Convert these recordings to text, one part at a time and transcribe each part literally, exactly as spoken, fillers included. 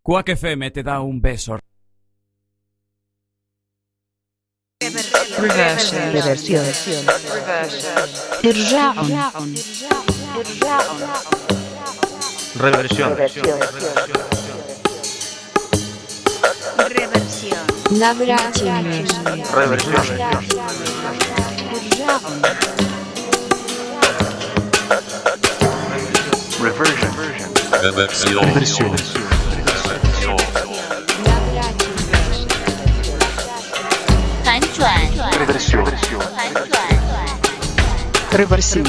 Quack F M te da un beso. Reversion. Reversión. Irja'un. Reversión. Reversión. Navratilation. Reversión. Reversion. Reversión. Reversión. Reversión. Reversión. Reversión.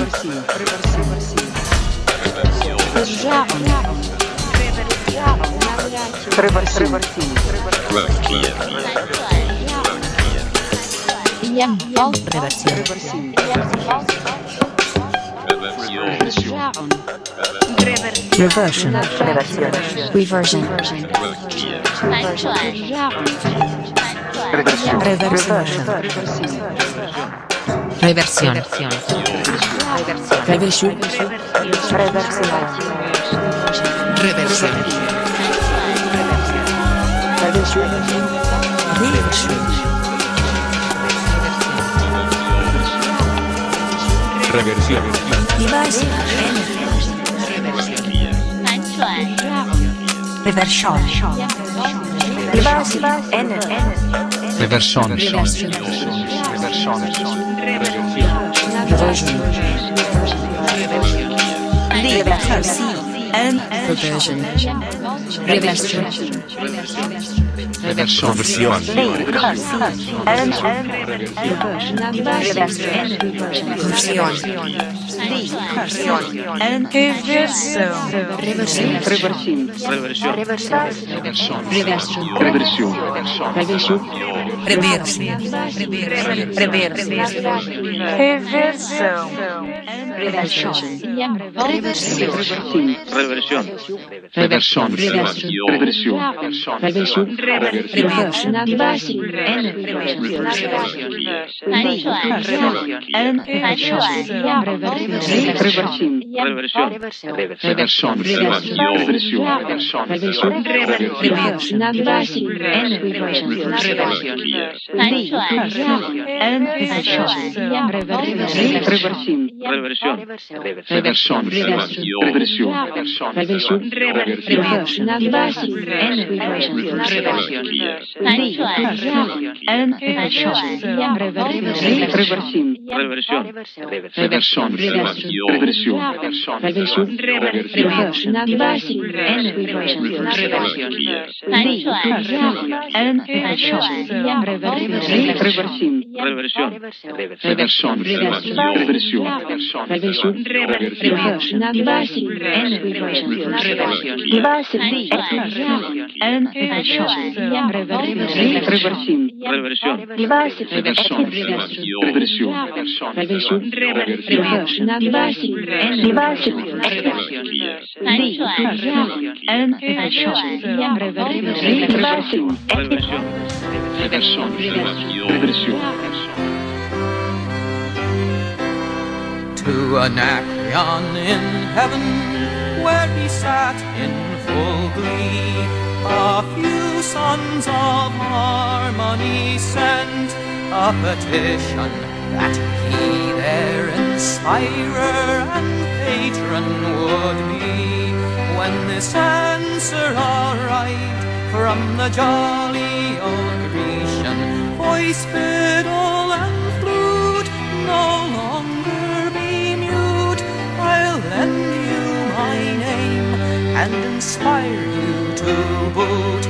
Reversion. Reversion. Reversión. Reversión. Reversión. Reversión. Reversión. To Anacreon in heaven, where he sat in full glee, a few sons of harmony sent a petition that he their inspirer and patron would be. When this answer arrived from the jolly old Grecian, voice, fiddle, and flute no longer be mute. I'll lend you my name and inspire you to boot,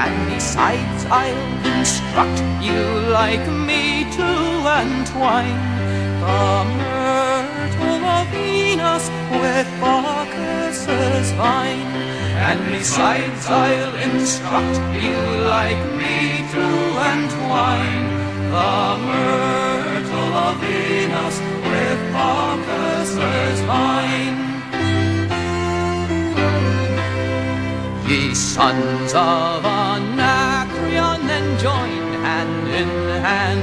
and besides I'll instruct you like me to entwine the myrtle of Venus with Bacchus's vine. And besides I'll instruct you like me to entwine the myrtle of Venus with Bacchus's vine. Ye sons of Anacreon, then join hand in hand,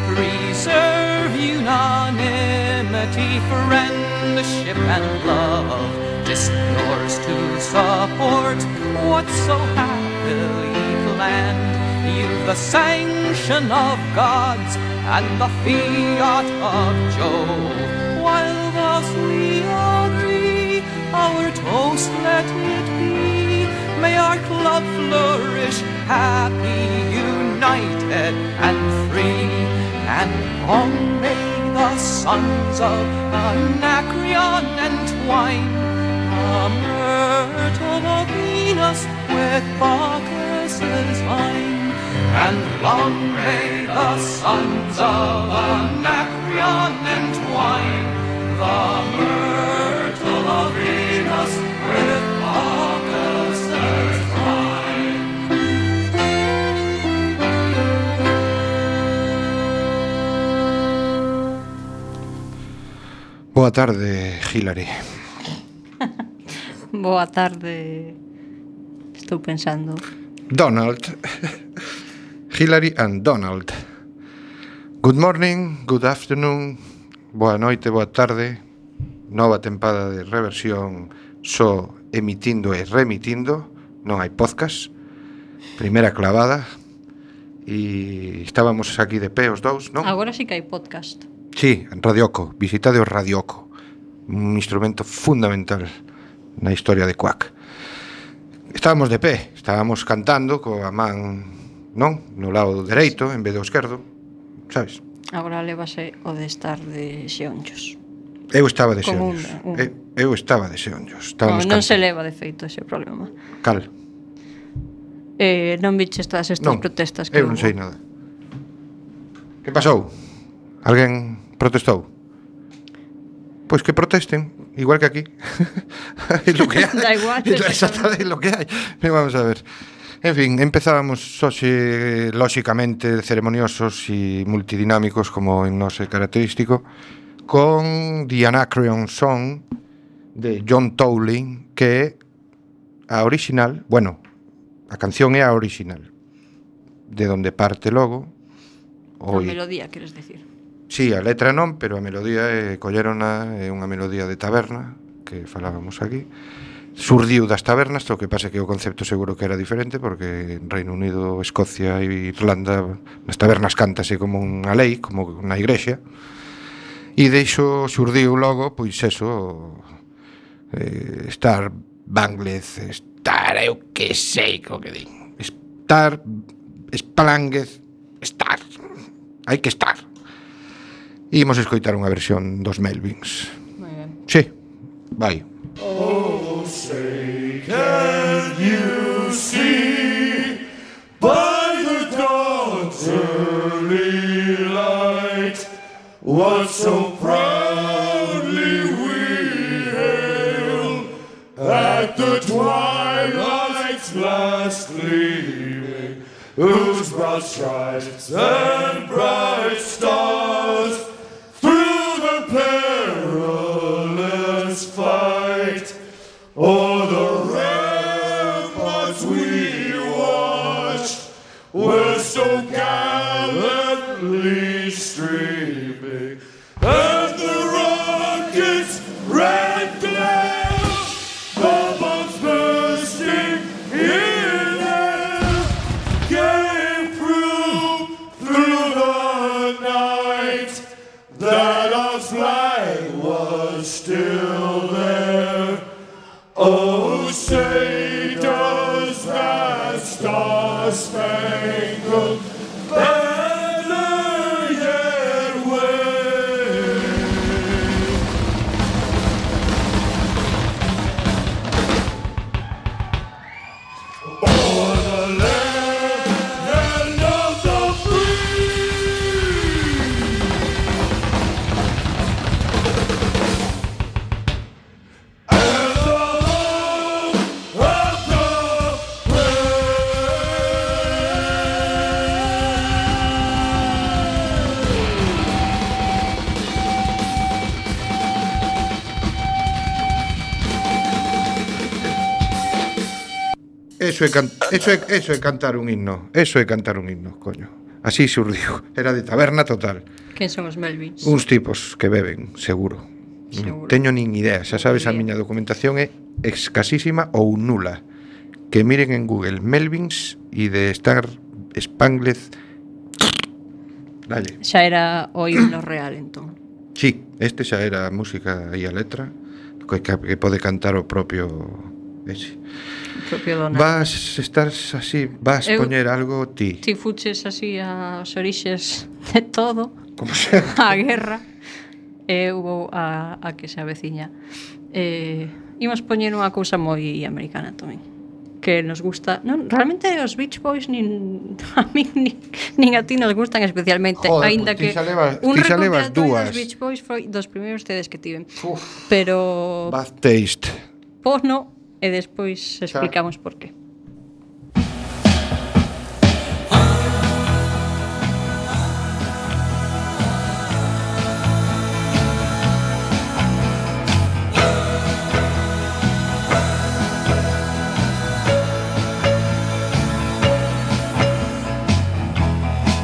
preserve unanimity, friendship and love, just yours to support what's so happy Galilee land. You've the sanction of gods and the fiat of Jove. While thus we agree, our toast let it be. May our club flourish, happy, united and free. And long may the sons of Anacreon entwine the myrtle of Venus with Bacchus's vine. And long may the sons of Anacreon entwine the myrtle of Venus with Bacchus's vine. Boa tarde, Hilary. Boa tarde. Estou pensando. Donald. Hilary and Donald. Good morning, good afternoon, boa noite, boa tarde. Nova tempada de reversión só emitindo e remitindo. Non hai podcast. Primeira clavada. E estábamos aquí de pé os dous, non? Agora sí que hai podcast. Sí, Radioco, visitade o Radioco. Un instrumento fundamental na historia de Quack. Estábamos de pé, estábamos cantando coa man, non? No lado dereito en vez do esquerdo, sabes? Agora levase o de estar de xeonllos. Eu estaba de Como xeonllos. un- un- Eu, eu estaba de xeonllos. No, Estábamos non se cantando. leva de feito ese problema. Cal? Eh, non viches todas estas Non, protestas que eu non hubo? sei nada. Que pasou? Alguén protestou? Pois que protesten, igual que aquí. É lo que hai. Da igual, É exactamente lo que hai. Pero vamos a ver. En fin, empezábamos hoxe lóxicamente ceremoniosos e multidinámicos como en nos é característico con The Anacreon Song de John Towling, que é a original, bueno, a canción é a original, de donde parte logo A o melodía, queres decir? sí, a letra non, pero a melodía é collerona, é unha melodía de taberna que falábamos aquí. Surdiu das tabernas, o que pasa que o concepto seguro que era diferente, porque en Reino Unido, Escocia e Irlanda nas tabernas cántase como unha lei, como na igrexa. E deixo surdiu logo, pois eso, eh, Star Banglez, Star, eu que sei co que din. Star, Splanguez, Star. Hai que estar. E imos escoitar unha versión dos Melvins. Moi ben. Sí, vai. By the dawn's early light, what so proudly we hail at the twilight's last gleaming, whose broad stripes and bright stars through the perilous fight o'er the ramparts we watched were so gallantly streaming, and the rockets' red glare, the bombs bursting in air, gave proof through the night that our flag was still there. Oh, say does that star-spangled banner yet wave? O'er the land of the free, and the home of the Eso é, can... eso, é, eso é cantar un himno. Eso é cantar un himno, coño. Así surdiu. Era de taberna total. Quen son os Melvins? Uns tipos que beben, seguro. Seguro. Non teño nin idea. Xa sabes, a Bien. miña documentación é escasísima ou nula. que miren en Google Melvins e de Star Spangled. Dale. Xa era o himno real, entón. Sí, este xa era a música e a letra que, que pode cantar o propio ese. O propio Donald. Vas estar así, vas Eu- poñer algo ti. Ti fuches así as orixes de todo, Como se... a guerra, e hubo a, a que se aveciña. Eh, imos poñer unha cousa moi americana tamén, que nos gusta. Non, realmente os Beach Boys nin a mí nin, nin a ti nos gustan especialmente, Joder, aínda pues ti que xa levas- un ti xa levas recopilatorio dúas. dos Beach Boys foi dos primeiros cedes que tiven. Uf. Pero Bad taste. pois no, e despois explicamos por qué.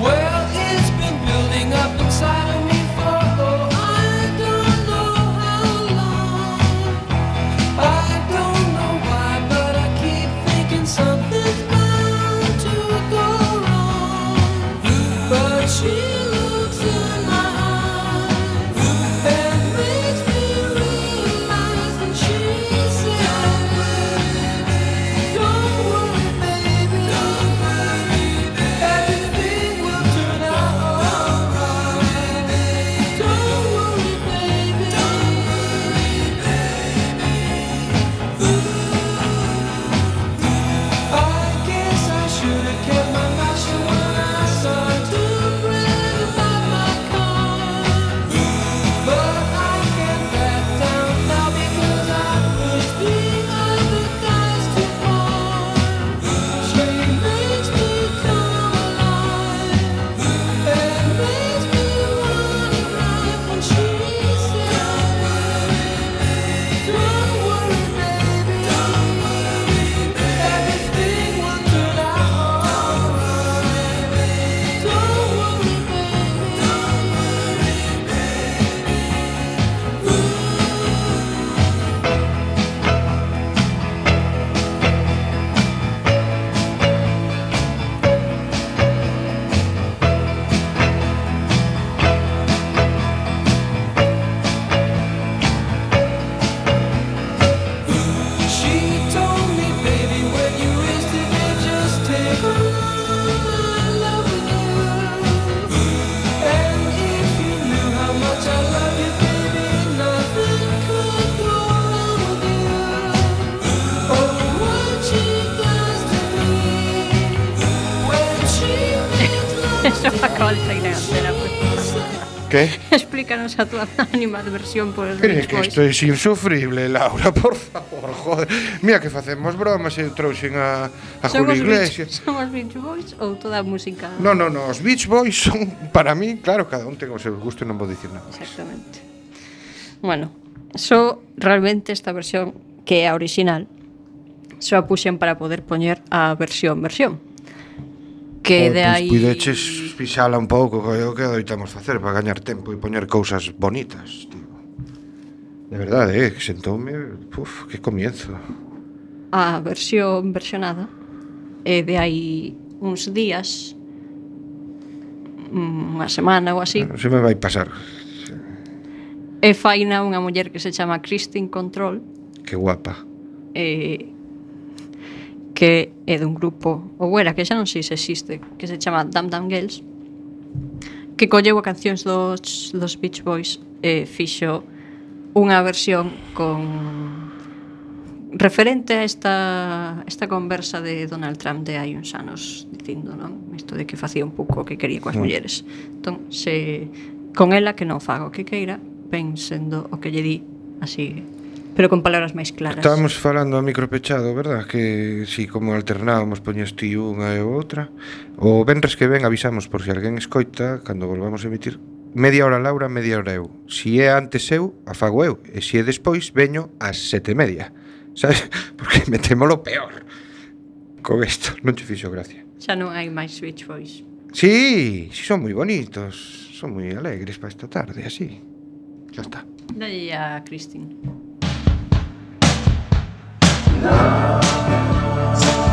Well, it's been building up inside of me for oh, I don't know how long. I don't know why, but I keep thinking something's bound to go wrong. But she looks in my eyes and makes me realize that she said, "Don't worry, baby, don't worry, everything will turn out alright. Don't worry, baby, don't worry, baby." I guess I should have kept my mouth shut when I started to brag about my car, but I can't back down now because I pushed the other guys too far. She makes me come alive and makes me wanna cry when she says, "Don't worry, baby, don't worry, everything will turn out alright. Don't worry, baby, don't She told me, baby, when you is today, just take my love with you. And if you knew how much I love you, baby, nothing could go wrong with you. Oh, what she does to me when she makes love Eso acaba de salir en antena, pues. ¿Qué? Explícanos a tu animadversión por os Crees Beach que Boys. isto é insufrible, Laura, por favor, joder. Mira que facemos bromas e eu trouxen a, a Son Julio os Iglesias. Beach, son os Beach Boys ou toda a música? No, no, no, os Beach Boys son, para mí, claro, cada un ten o seu gusto e non vou dicir nada. Exactamente. Bueno, só realmente esta versión que é a original só a puxen para poder poñer a versión versión. Que de aí Puideches pisala un pouco, que é o que adoitamos facer para gañar tempo e poñer cousas bonitas, tío. De verdade, eh, que sentoume, uf, que comienzo. a versión versionada e de aí uns días, unha semana ou así, Non se me vai pasar. e faina unha muller que se chama Christine Control, Que guapa. e que é dun grupo, ou era, que xa non sei se existe, que se chama Dam Dam Girls, que colleu a cancións dos, dos Beach Boys e fixo unha versión con referente a esta, esta conversa de Donald Trump de hai uns anos dicindo, non? Isto de que facía un pouco o que quería coas Mm. mulleres. Entón, se con ela que non faga o que queira, ven sendo o que lle di así, pero con palabras máis claras. Estábamos falando a micro pechado, verdad? Que si como alternábamos poñes ti unha e outra. O venres que ven avisamos por si alguén escoita cando volvamos a emitir. Media hora Laura, media hora eu. Si é antes eu, a fago eu. E si é despois, veño ás sete e media. Sabes? Porque metémolo peor. Con isto, non che fixo gracia. Xa non hai máis Beach Boys. Sí, sí son moi bonitos. Son moi alegres para esta tarde, así. Ya está. Dalle a Christine. Love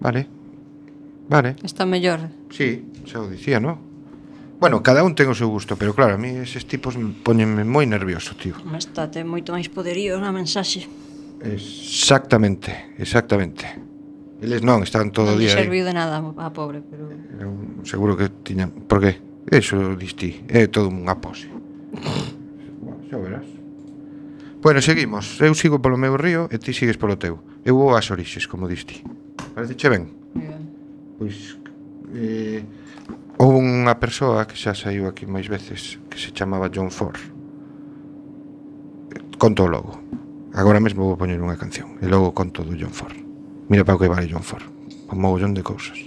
Vale. Vale. Está mellor. Sí, xa o dicía, non? Bueno, cada un ten o seu gusto, pero claro, a mí eses tipos poñenme moi nervioso, tío. Está, ten moito máis poderío na mensaxe. Exactamente, exactamente. Eles non, estaban todo o Non lle día aí. serviu de nada a pobre, pero... Eu seguro que tiñan... Por que? Eso distí, é todo unha pose. Bueno, xa verás. Bueno, seguimos. Eu sigo polo meu río e ti sigues polo teu. Eu vou ás orixes, como diste. Parece che ben? Ben. Pois... Eh, houve unha persoa que xa saiu aquí máis veces que se chamaba John Ford. Conto logo. Agora mesmo vou poñer unha canción e logo conto do John Ford. Mira para o que vale John Ford. Un mogollón de cousas.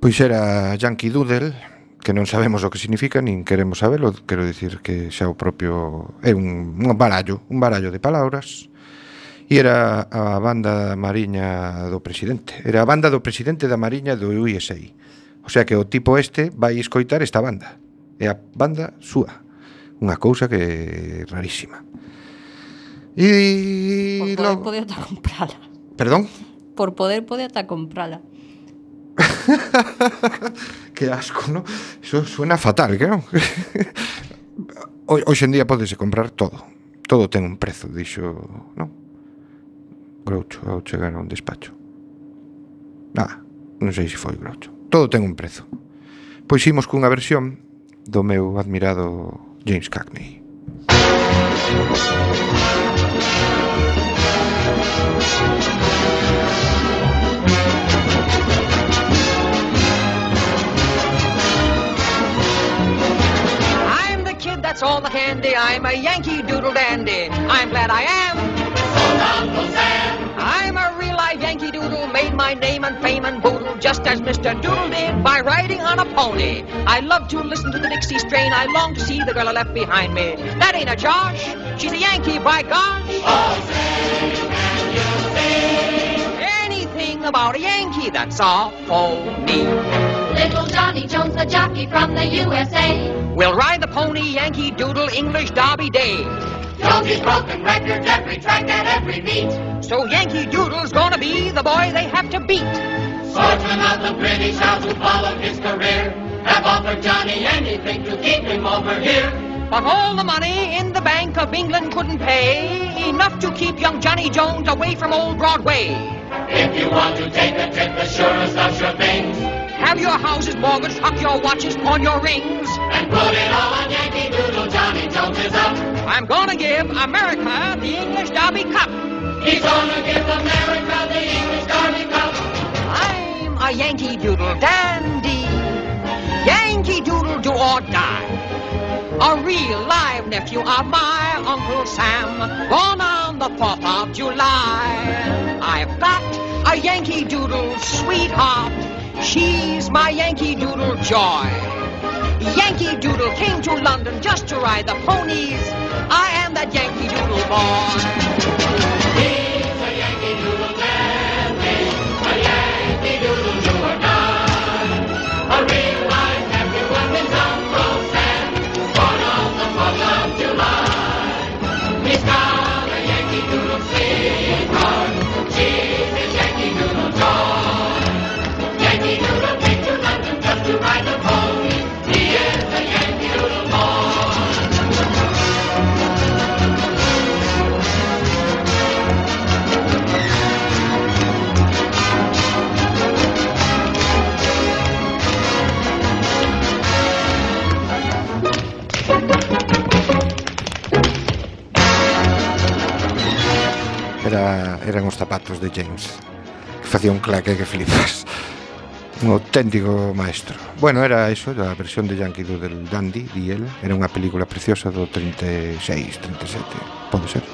Pois era Yankee Doodle, que non sabemos o que significa, nin queremos sabelo, quero dicir que xa o propio é un, un barallo, un barallo de palabras, e era a banda mariña do presidente, era a banda do presidente da mariña do U S A. O sea que o tipo este vai escoitar esta banda, é a banda súa, unha cousa que é rarísima. E Por poder logo... pode ata comprala. Perdón? Por poder pode ata comprala. Que asco, ¿no? Eso suena fatal, que non? Ho- Hoxe en día podese comprar todo. Todo ten un prezo, dixo, non? Groucho ao chegar a un despacho. Nada, non sei se foi Groucho. Todo ten un prezo. Pois imos cunha versión do meu admirado James Cagney. I'm the kid that's all the candy. I'm a Yankee Doodle dandy. I'm glad I am. I'm a real live Yankee Doodle, made my name and fame and boodle, just as Mister Doodle did by riding on a pony. I love to listen to the Dixie strain. I long to see the girl I left behind me. That ain't a Josh. She's a Yankee, by gosh. Anything about a Yankee, that's all for me. Little Johnny Jones, the jockey from the U S A. We'll ride the pony, Yankee Doodle, English Derby Day. Jonesy's broken records every track at every meet. So Yankee Doodle's gonna be the boy they have to beat. Swordsmen of the British House who followed his career have offered Johnny anything to keep him over here. But all the money in the Bank of England couldn't pay enough to keep young Johnny Jones away from old Broadway. If you want to take a trip, the surest of sure things, Have your houses mortgaged, hock your watches, pawn your rings. and put it all on Yankee Doodle, Johnny Jones is up. I'm gonna give America the English Derby Cup. He's gonna give America the English Derby Cup. I'm a Yankee Doodle dandy. Yankee Doodle do or die. A real live nephew of my Uncle Sam, born on the fourth of July. I've got a Yankee Doodle sweetheart. She's my Yankee Doodle joy. Yankee Doodle came to London just to ride the ponies. I am that Yankee Doodle boy. He's a Yankee Doodle dandy, a Yankee Doodle do or die. A real life nephew of his Uncle Sam, born on the fourth of July. He's got a Yankee Doodle sweetheart. She's his Yankee Doodle joy. Yankee Doodle came to London just to ride the pony. He is a Yankee Doodle boy. Era, eran os zapatos de James, que facía un claque que flipas. Un auténtico maestro. Bueno, era eso, a versión de Yankee Doodle Dandy, di el. Era unha película preciosa do treinta e seis, treinta e sete, pode ser.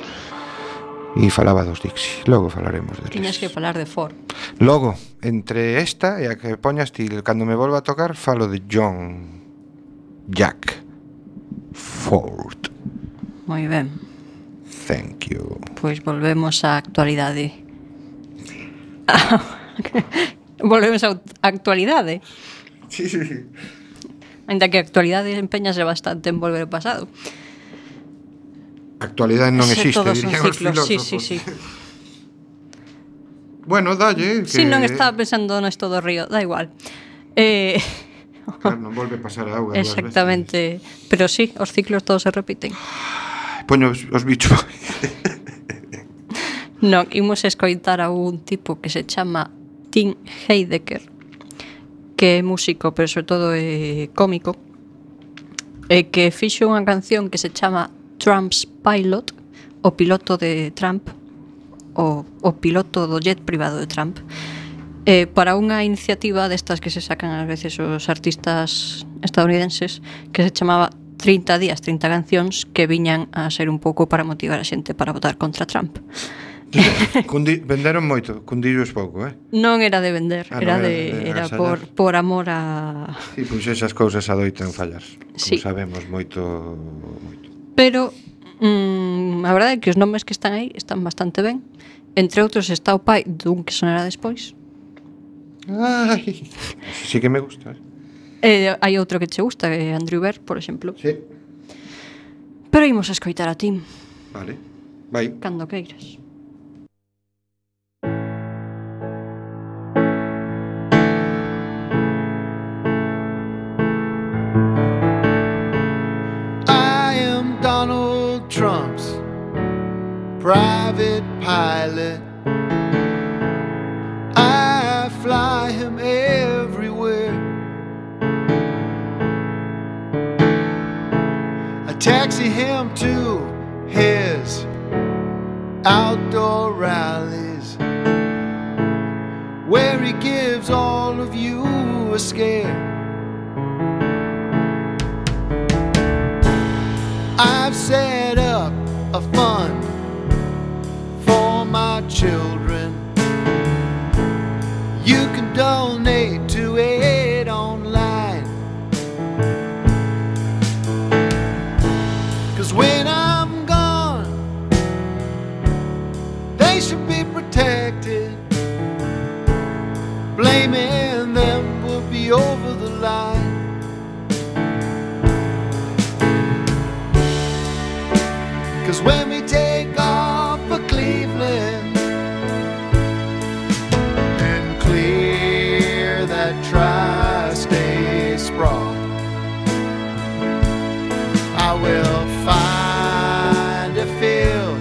E falaba dos Dixie. Logo falaremos deles. Tiñas que falar de Ford. Logo, entre esta e a que poñas ti, cando me volva a tocar, falo de John Jack Ford. Moi ben. Thank you. Pois volvemos á actualidade. Volvemos á actualidade. Sí, sí, sí. Ainda que a actualidade empeñase bastante en volver ao pasado. Actualidade non Ese existe, todos son dirían os ciclos, sí, filósofos. sí, sí. Bueno, dalle que... Si, non estaba pensando nesto do río, da igual. Eh, Claro, non volve a pasar a auga dúas veces. exactamente. Pero sí, os ciclos todos se repiten. Poño os, os bichos. Non, imos escoitar a un tipo que se chama Tim Heidecker, que é músico, pero sobre todo é cómico, e que fixo unha canción que se chama Trump's Pilot, o piloto de Trump, o, o piloto do jet privado de Trump, eh, para unha iniciativa destas que se sacan a veces os artistas estadounidenses, que se chamaba trinta días, trinta cancións, que viñan a ser un pouco para motivar a xente para votar contra Trump. Cundi, venderon moito, cundillo es pouco, eh? Non era de vender, Ah, era non era de de era agasallar. por por amor a Sí, pois esas cousas adoitan fallar. Como Sí. sabemos moito, moito. pero mm, a verdade é que os nomes que están aí están bastante ben. Entre outros está o pai dun que sonará despois. Ai, sí que me gusta, eh? E hai outro que che gusta, que é Andrew Bird, por exemplo. Sí. Pero imos a escoitar a Tim Vale. Vai. cando queiras. taxi him to his outdoor rallies, where he gives all of you a scare. I've set up a fund for my children. You can donate to it online. 'Cause when I'm gone, they should be protected. Blaming them will be over the line. 'Cause when we take off for Cleveland and clear that tri-state sprawl, I will find a field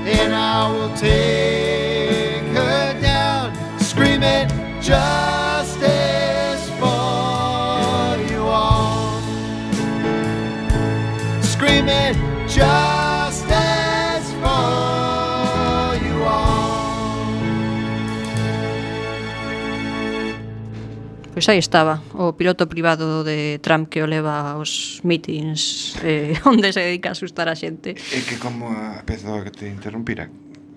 and I will take her down, screaming justice for you all, screaming justice for you all. Pois aí estaba, o piloto privado de Trump que o leva aos meetings eh, onde se dedica a asustar a xente. É que como a pezo que te interrumpira,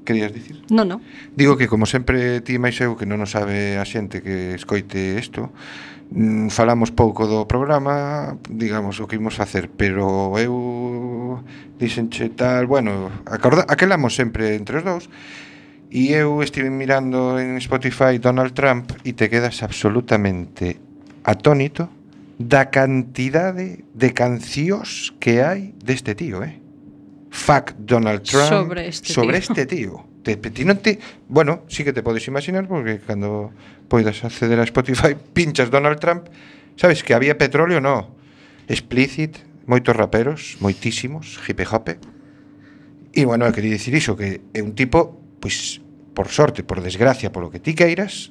querías dicir? Non, non. Digo que como sempre ti máis eu que non o sabe a xente que escoite isto, mm, falamos pouco do programa, digamos o que imos facer, pero eu dixenche tal, bueno, acorda, aquelamos sempre entre os dous. E eu estive mirando en Spotify Donald Trump e te quedas absolutamente atónito da cantidade de cancións que hai deste tío, eh? Fuck Donald Trump Sobre este sobre tío. este tío. Te, ti non te, bueno, sí que te podes imaginar porque cando poidas acceder a Spotify pinchas Donald Trump, sabes que había petróleo, no. Explicit, moitos raperos, moitísimos, hipe hope. E bueno, eu quería dicir iso, que é un tipo, pois, por sorte, por desgracia, polo que ti queiras,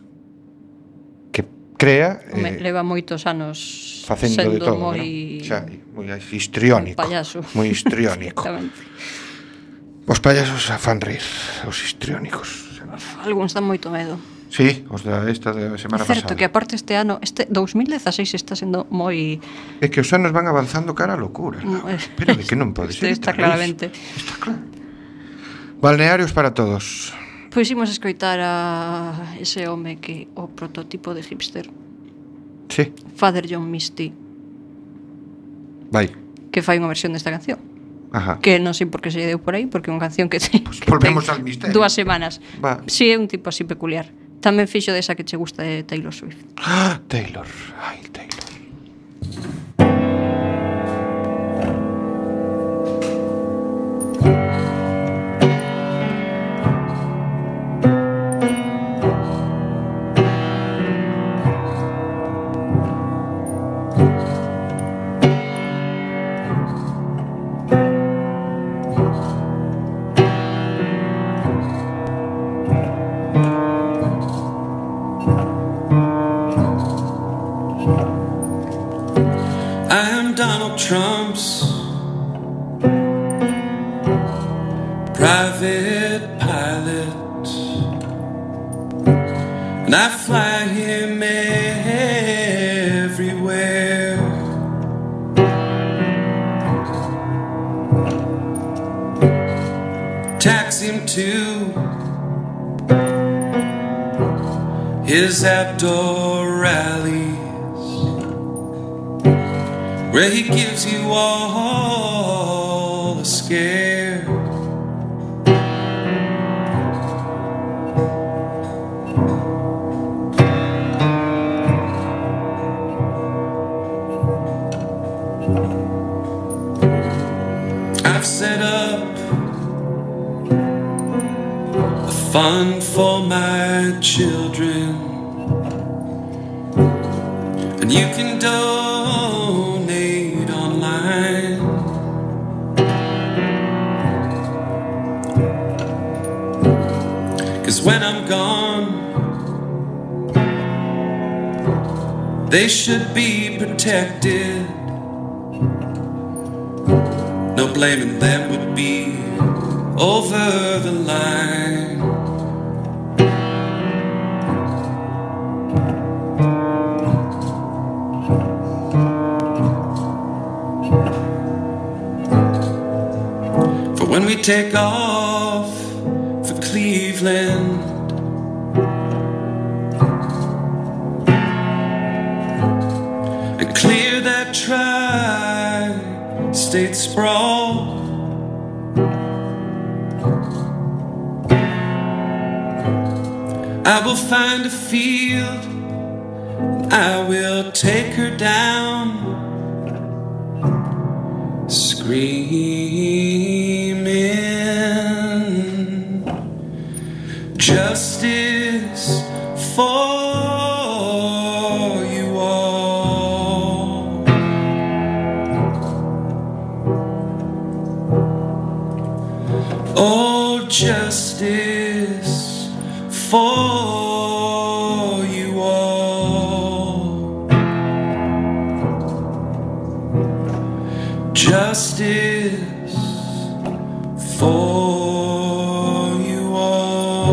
que crea Home, eh, leva moitos anos facendo sendo de todo, moi ¿no? O sea, moi histriónico, moi payaso. moi histriónico. Exactamente. Os payasos a fan rir, os histriónicos. Algúns dan moito medo. Sí, os da esta de semana É certo pasada. que aparte este ano, este dos mil dezaseis está sendo moi É que os anos van avanzando cara a locura. Mm, eh, Pero de que non pode este ser. está isto, claramente. Luis. Está claro. Balnearios para todos. Pois imos escoitar a ese home que o prototipo de hipster, Sí, Father John Misty, vai. que fai unha versión desta canción. Ajá. Que non sei por que se lle deu por aí, porque é unha canción que, te, Pues que volvemos ten al misterio. dúas semanas. Va. Si, sí, é un tipo así peculiar. Tamén fixo desa que che gusta de Taylor Swift. Ah, Taylor. Ay, Taylor. I'm Donald Trump's private pilot, and I fly him everywhere. Tax him to his outdoor rallies, where he gives you all a scare. I've set up a fund for my children, and you can donate online. Cause when I'm gone, they should be protected. No blaming them would be over the line. For when we take off for Cleveland, and clear that tri-state sprawl, I will find a field, I will take her down, screaming justice for you all. Oh, justice for you all. Justice for you all.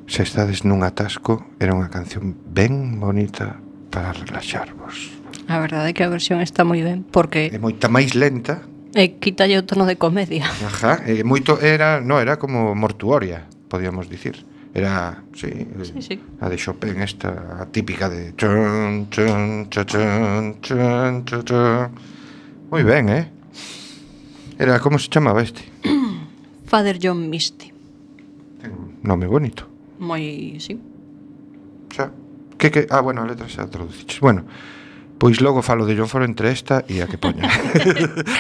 Se estades nun atasco, era unha canción ben bonita para relaxarvos. A verdade é que a versión está moi ben, porque É moita máis lenta. e quítalle o tono de comedia. Ajá, e moito era, no, era como mortuoria, podíamos dicir. Era, sí, Sí, sí. a de Chopin esta, a típica de chun, chun, chun, chun, chun, chun, chun. Moi ben, eh? Era, como se chamaba este? Father John Misty. Nome bonito. Moi, sí. Xa. Que que, ah, bueno, a letra xa traduciches. Bueno, pois logo falo de John Ford entre esta e a que poña.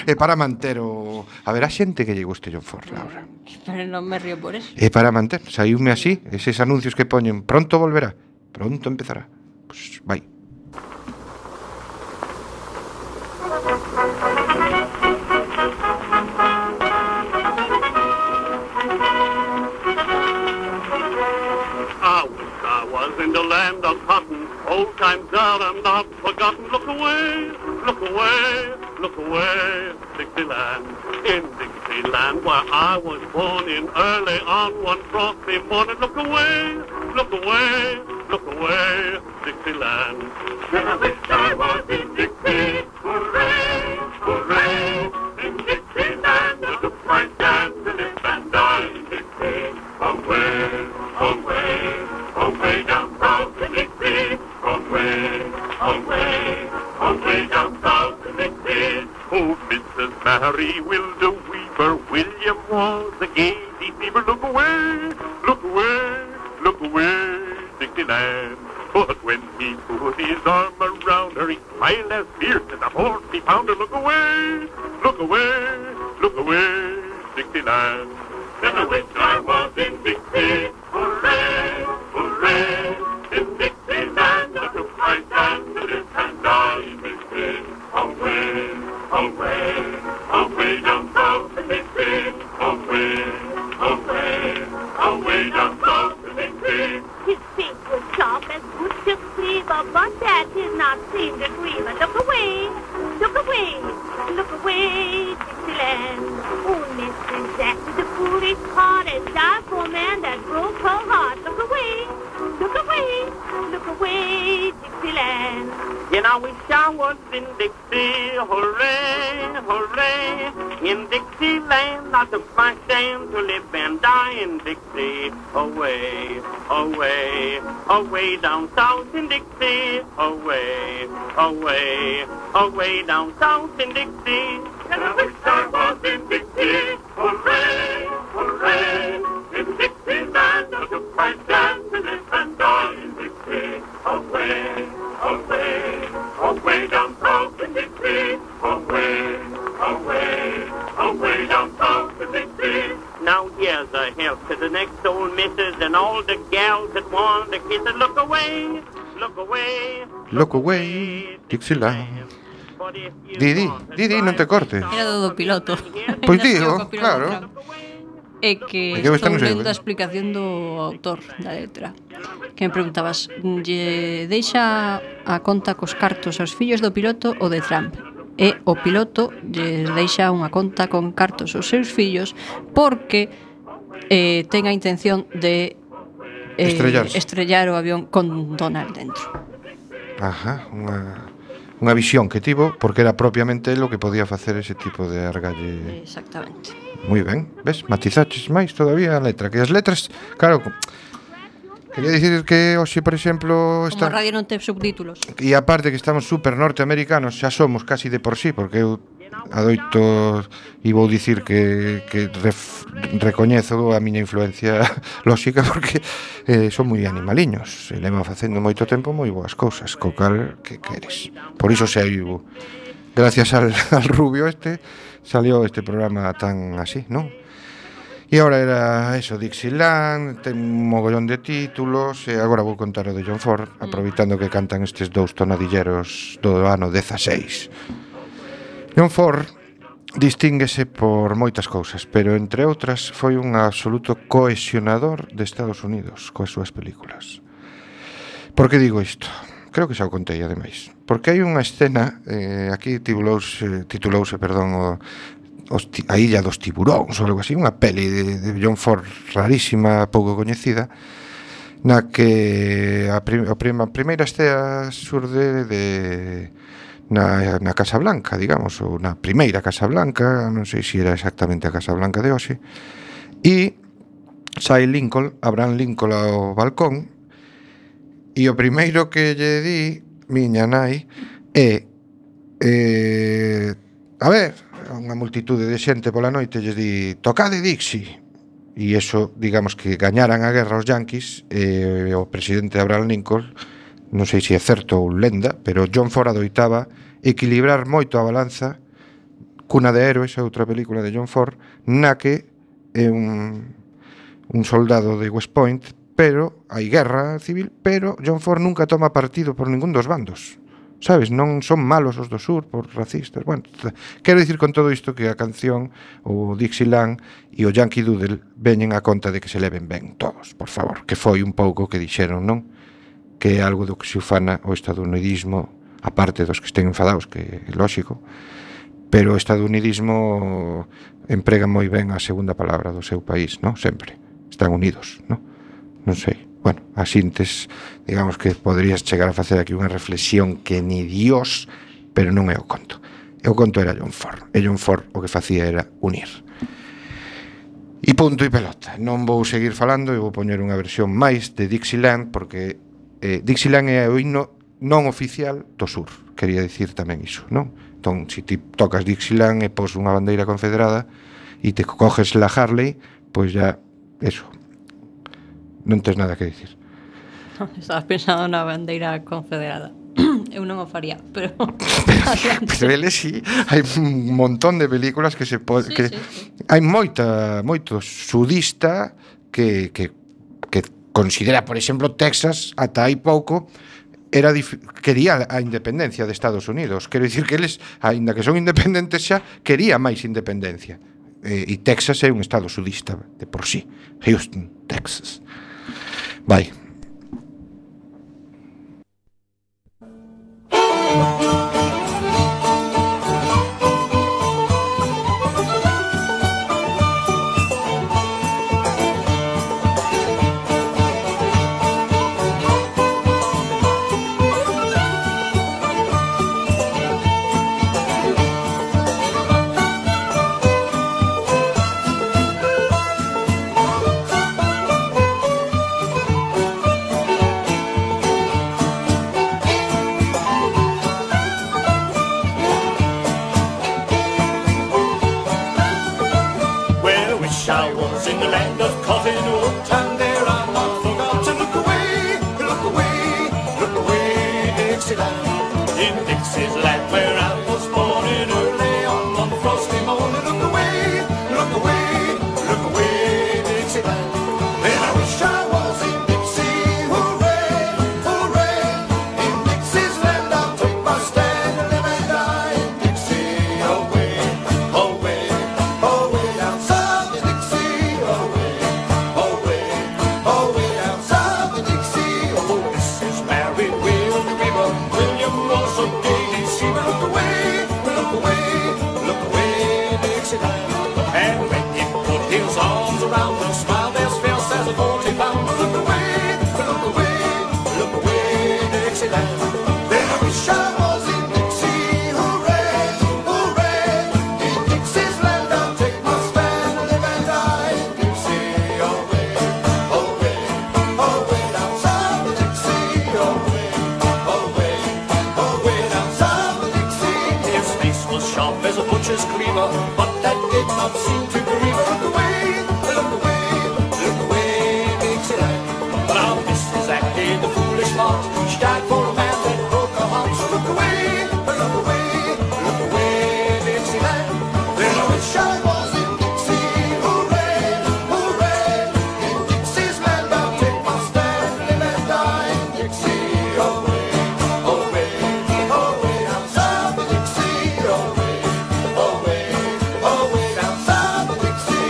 É para manter o... A ver, a xente que lle guste John Ford, Laura. Pero non me río por eso. É para manter, saíume así, eses anuncios que poñen, pronto volverá, pronto empezará. Pois vai. I wish I was in the land of cotton. Old times are not forgotten. Look away, look away, look away, Dixieland. In Dixieland, where I was born in early on one frosty morning. Look away, look away, look away, Dixieland. Then I wish I was in Dixie. Hooray, hooray, in Dixieland. I took my chance to live and die in Dixie. Away, away, away down south in Dixie. Away, away, away down south in Dixie. Oh, Missus Mary will the weaver, William was a gay deceiver. Look away, look away, look away, Dixieland. But when he put his arm around her, he smiled as fierce as a forty pounder. Look away, look away, look away, Dixieland. Then I wish I was in Dixie. Hooray, hooray, in Dixieland. I took my chance to live and die in Dixie. Away, away, away down south in Dixie. Away, away, away down south in Dixie. His feet were sharp as wood to cleaver, but that did not seem to grieve her. Look away, look away, look away, Dixieland. Oh, Missus Jack with the foolish heart and died for a man that broke her heart. Look away, look away, look away, Dixieland. And I wish I was in Dixie. Hooray, hooray, in Dixieland. I took my stand to live and die in Dixie. Away, away, away down south in Dixie. Away, away, away down south in Dixie. And I wish I was in Dixie. Hooray, hooray, in Dixieland. I took my stand to live and die in Dixie. Away, away, away down south in Dixie. Away, away, away down south in Dixie. Now here's a health to the next old missus and all the gals that want to kiss it. Look away, look away, Look away, Dixieland. Didi, Didi, non te cortes. Era do do piloto. Pois Ainda digo, sigo co piloto claro. Franco. é que É que eu esta estou non sei, lendo a eh. explicación do autor da letra. Que me preguntabas, lle deixa a conta cos cartos aos fillos do piloto ou de Trump? E o piloto lle deixa unha conta con cartos aos seus fillos porque eh, ten a intención de eh, Estrellarse. estrellar o avión con Donald dentro. Ajá, unha, unha visión que tivo, porque era propiamente lo que podía facer ese tipo de argalle. Exactamente. Moi ben, ves, matizaches máis todavía a letra. Que as letras, claro, quería dicir que hoxe, por exemplo, Como está... a radio non ten subtítulos. E aparte que estamos super norteamericanos, xa somos casi de por sí, porque eu adoito e vou dicir que, que ref, recoñezo a miña influencia lóxica porque eh, son moi animaliños e levo facendo moito tempo moi boas cousas, co cal que queres. Por iso saiu, gracias al, al rubio este, salió este programa tan así, non? E agora era eso, Dixieland, ten un mogollón de títulos, e agora vou contar o de John Ford, aproveitando que cantan estes dous tonadilleros do ano dezaseis. John Ford distínguese por moitas cousas, pero entre outras foi un absoluto cohesionador de Estados Unidos coas súas películas. Por que digo isto? Creo que xa o contei, ademais. Porque hai unha escena, eh, aquí titulouse, titulouse, perdón, o, os, a Illa dos Tiburóns ou algo así, unha peli de, de John Ford rarísima, pouco coñecida, na que a, prim, a, prim, a primeira estea surde de na, na Casa Blanca, digamos, ou na primeira Casa Blanca, non sei se era exactamente a Casa Blanca de hoxe, e sai Lincoln, Abraham Lincoln ao balcón, e o primeiro que lle di miña nai é eh, a ver, unha multitude de xente pola noite lle di tocade Dixie, e eso, digamos que gañaran a guerra os yanquis, e o presidente Abraham Lincoln, non sei se é certo ou lenda, pero John Ford adoitaba equilibrar moito a balanza Cuna de Héroes, outra película de John Ford, na que é un, un soldado de West Point, pero hai guerra civil, pero John Ford nunca toma partido por ningún dos bandos, sabes? Non son malos os do sur por racistas. Bueno, quero dicir con todo isto que a canción, o Dixieland e o Yankee Doodle veñen a conta de que se leven ben todos, por favor, que foi un pouco que dixeron, non? Que é algo do que se ufana o estadounidismo, aparte dos que estén enfadados, que é lóxico, pero o estadounidismo emprega moi ben a segunda palabra do seu país, non? Sempre. Están unidos, non? Non sei. Bueno, a sintes, digamos que poderías chegar a facer aquí unha reflexión que ni Dios, pero non é o conto. E o conto era John Ford. E John Ford o que facía era unir. E punto e pelota. Non vou seguir falando, eu vou poñer unha versión máis de Dixieland, porque eh, Dixieland é o himno non oficial do sur. Quería dicir tamén iso, non? Entón, se ti tocas Dixieland e pos unha bandeira confederada e te coges la Harley, pois ya, eso, non tes nada que dicir. No, estabas pensando na bandeira confederada. Eu non o faría, pero pero ele sí, hai un montón de películas que se pode, sí, que sí, sí. Hai moita, moito sudista que, que, que considera, por exemplo, Texas ata hai pouco era dif- quería a independencia de Estados Unidos. Quero dicir que eles, aínda que son independentes xa, quería máis independencia. E, e Texas é un estado sudista de por sí. Houston, Texas. Vai. her, but that did not seem to grieve her. Look away, look away, look away, Dixieland. But our Missus acted the foolish part. She died for a man that broke her heart. So look away, look away, look away, Dixieland. Then I wish I was in Dixie. Hooray, hooray, in Dixie's land I'll take my stand, live and die in Dixie. Away, away, away down south of Dixie. Away, away, away down south of Dixie.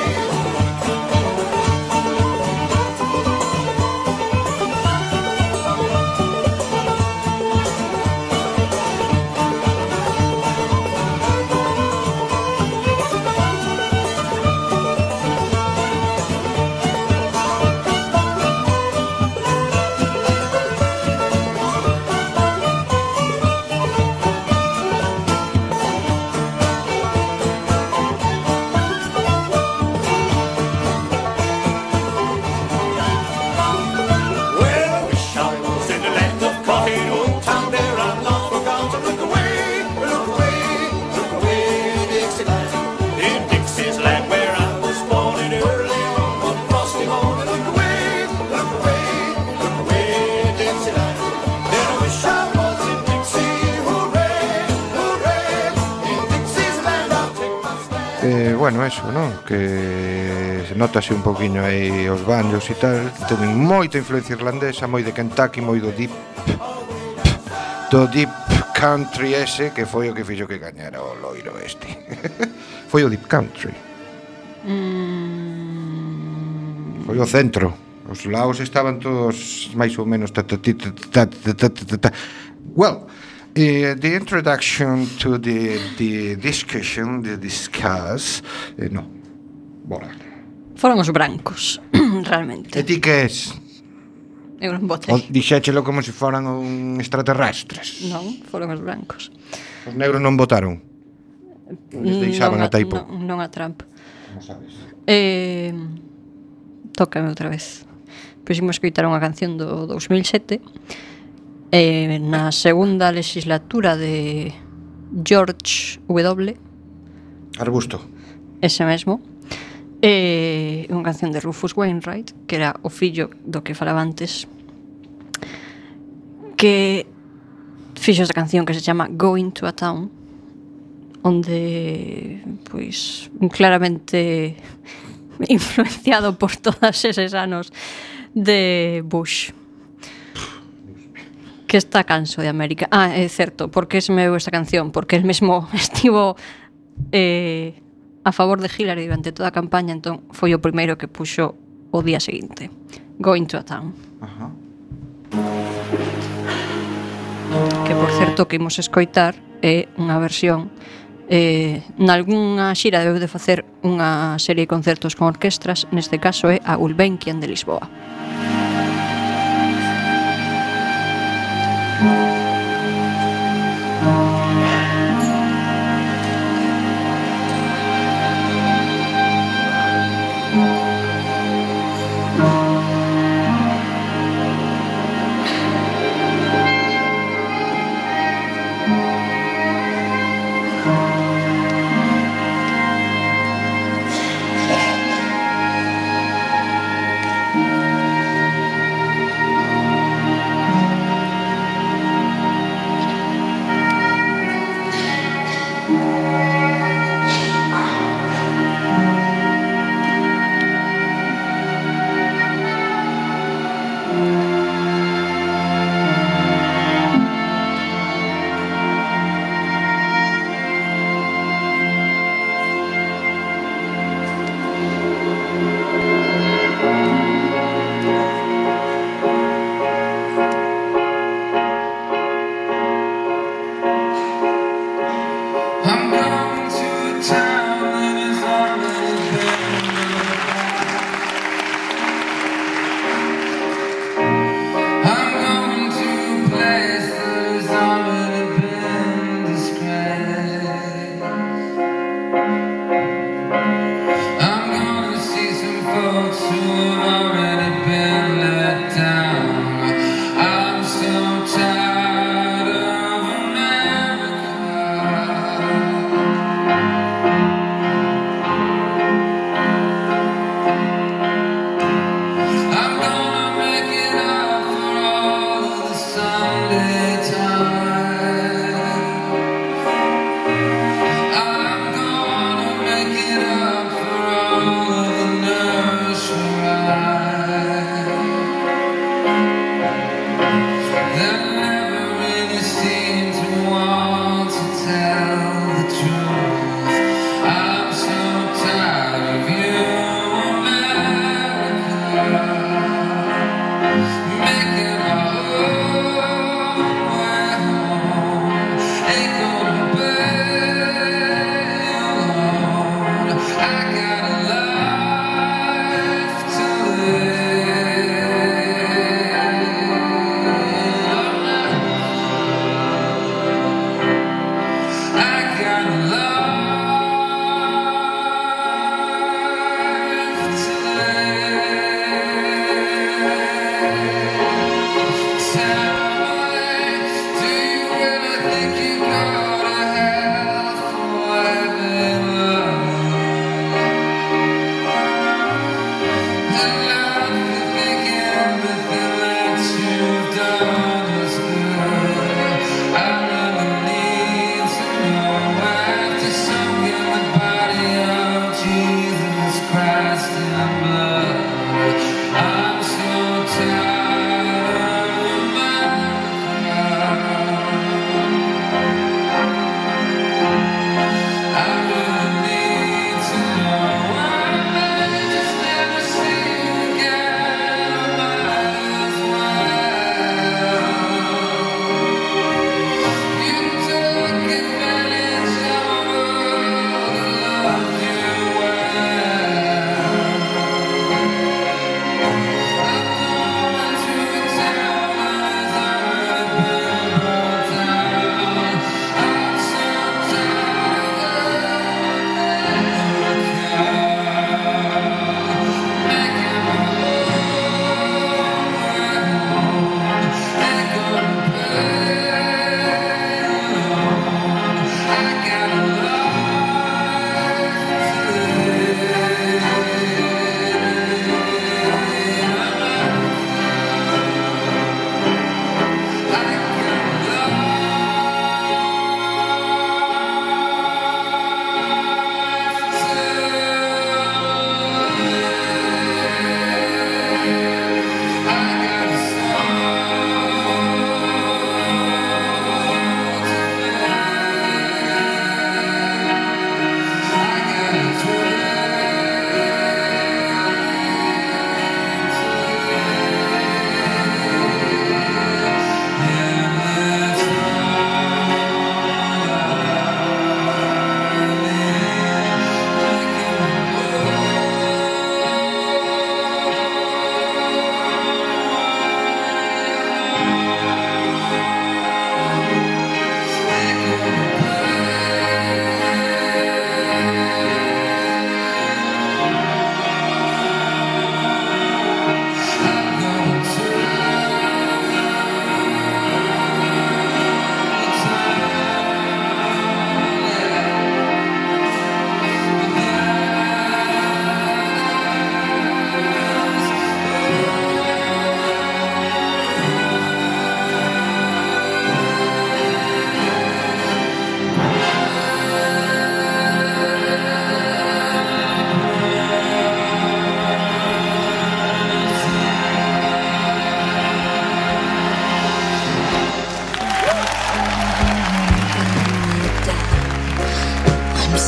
Well, I wish I was in the land of cotton, old town there I'm not forgotten. Look away, look away, look away, Dixieland. In Dixie's land where I was born in early on one frosty morning. Look away, look away, look away, Dixieland. Then I wish I was in Dixie. Hooray, hooray, in Dixie's land I'll take my stand. Eh, bueno, eso, non? Que se notase un poquinho aí os banjos e tal. Teñen moita influencia irlandesa, moi de Kentucky, moi do deep do deep country ese, que foi o que fixo que gañara o loiro este. Foi o deep country. Mm, Foi o centro. Os laos estaban todos máis ou menos ta, ta, ti, ta, ta, ta, ta, ta, ta. Well, uh, the introduction to the, the discussion, the discuss, eh, no, bora. foron os brancos, realmente. E ti que es? Eu non O votei. dixéchelo como se foran un extraterrestres. Non, foron os brancos. Os negros non votaron. Les deixaban non a Taipo. Non, non a Trump. Non sabes. Eh, tócame outra vez. Pois imos escoitar unha canción do dous mil sete, eh, na segunda legislatura de George W. Arbusto. Ese mesmo. Eh, unha canción de Rufus Wainwright, que era o fillo do que falaba antes, que fixo esta canción que se chama Going to a Town, onde pois claramente influenciado por todos eses anos de Bush, que está canso de América. Ah, é certo, porque se me veu esta canción, porque el mesmo estivo eh, a favor de Hillary durante toda a campaña, entón foi o primeiro que puxo o día seguinte, Going to a Town. Ajá. Que por certo que imos escoitar é unha versión eh, nalgúnha xira debeu de facer unha serie de concertos con orquestras, neste caso é a Gulbenkian de Lisboa.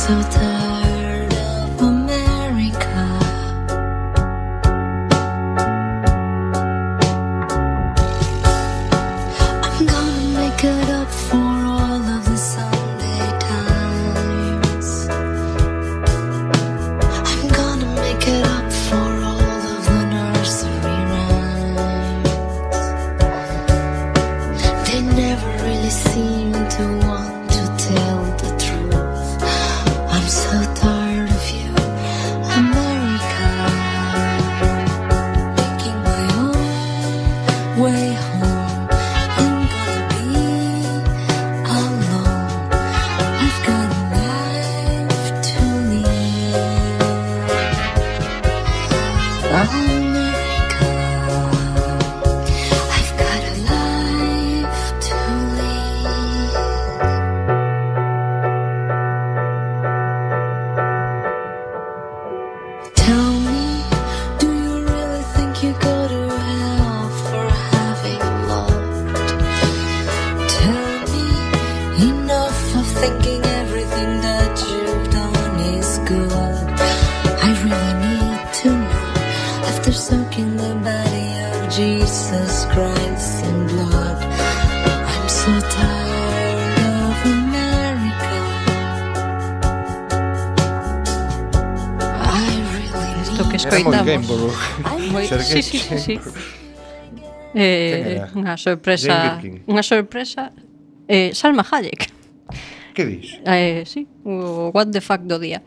so tired of America. I'm gonna make it up for all of the Sunday times. I'm gonna make it up for all of the nursery rhymes. They never really seem to want to tell the truth. I'm so tired of you, America. Making my own way home. I'm gonna be alone. I've got a life to live. America, I've got a life to live. Tell me, do you really think you go to hell for having loved? Tell me, enough of thinking everything that you've done is good. I really need to know, after soaking the body of Jesus Christ in blood. I'm so tired of America. I really Isto que need Era moi escoitamos. Gainsborough. Moi, sí, Sergei sí, sí, sí. Quen Eh, era? unha sorpresa, Jane Birkin. unha sorpresa eh, Salma Hayek. Que dis? Eh, sí, o what the fuck do día.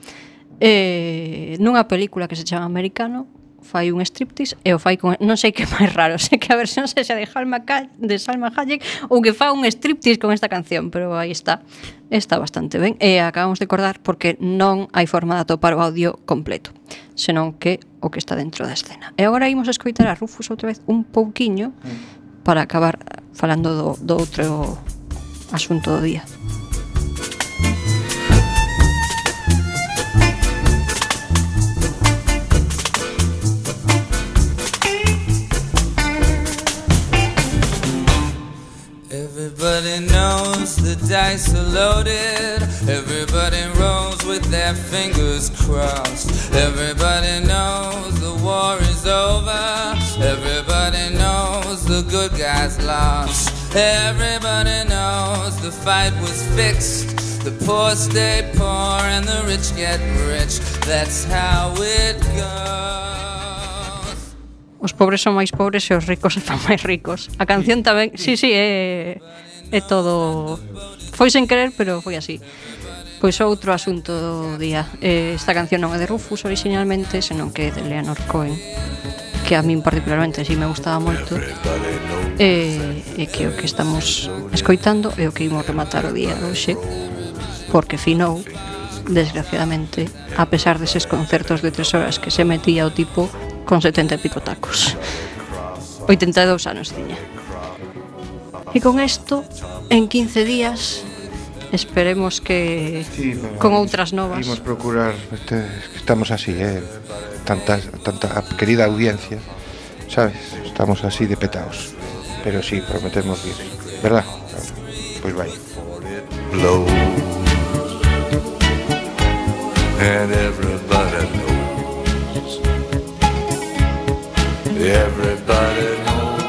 Eh, nunha película que se chama Americano, fai un striptease e o fai con, non sei que é máis raro, sei que a versión sexa de Salma, Ca- de Salma Hayek ou que fa un striptease con esta canción, pero aí está, está bastante ben. E acabamos de acordar porque non hai forma de atopar o audio completo, senón que o que está dentro da escena. E agora imos escoitar a Rufus outra vez un pouquiño para acabar falando do, do outro asunto do día. Everybody knows the dice are loaded. Everybody rolls with their fingers crossed. Everybody knows the war is over. Everybody knows the good guys lost. Everybody knows the fight was fixed. The poor stay poor and the rich get rich. That's how it goes. Os pobres son máis pobres e os ricos se fan máis ricos. A canción tamén, sí, sí, é, é todo... Foi sen querer, pero foi así. Pois outro asunto do día. Eh, esta canción non é de Rufus originalmente, senón que é de Leonard Cohen, que a min particularmente sí me gustaba moito. E, e que o que estamos escoitando é o que imos rematar o día de hoxe, porque finou, desgraciadamente, a pesar deses concertos de tres horas que se metía o tipo con setenta e pico tacos. oitenta e dous anos tiña. E con isto, en quince días, esperemos que Sí, pero con outras novas. Imos procurar, este, estamos así, eh, tanta, tanta querida audiencia, sabes, estamos así de petaos. Pero sí, prometemos ir, ¿verdad? Pois vai. Blow. And everybody knows. Everybody knows.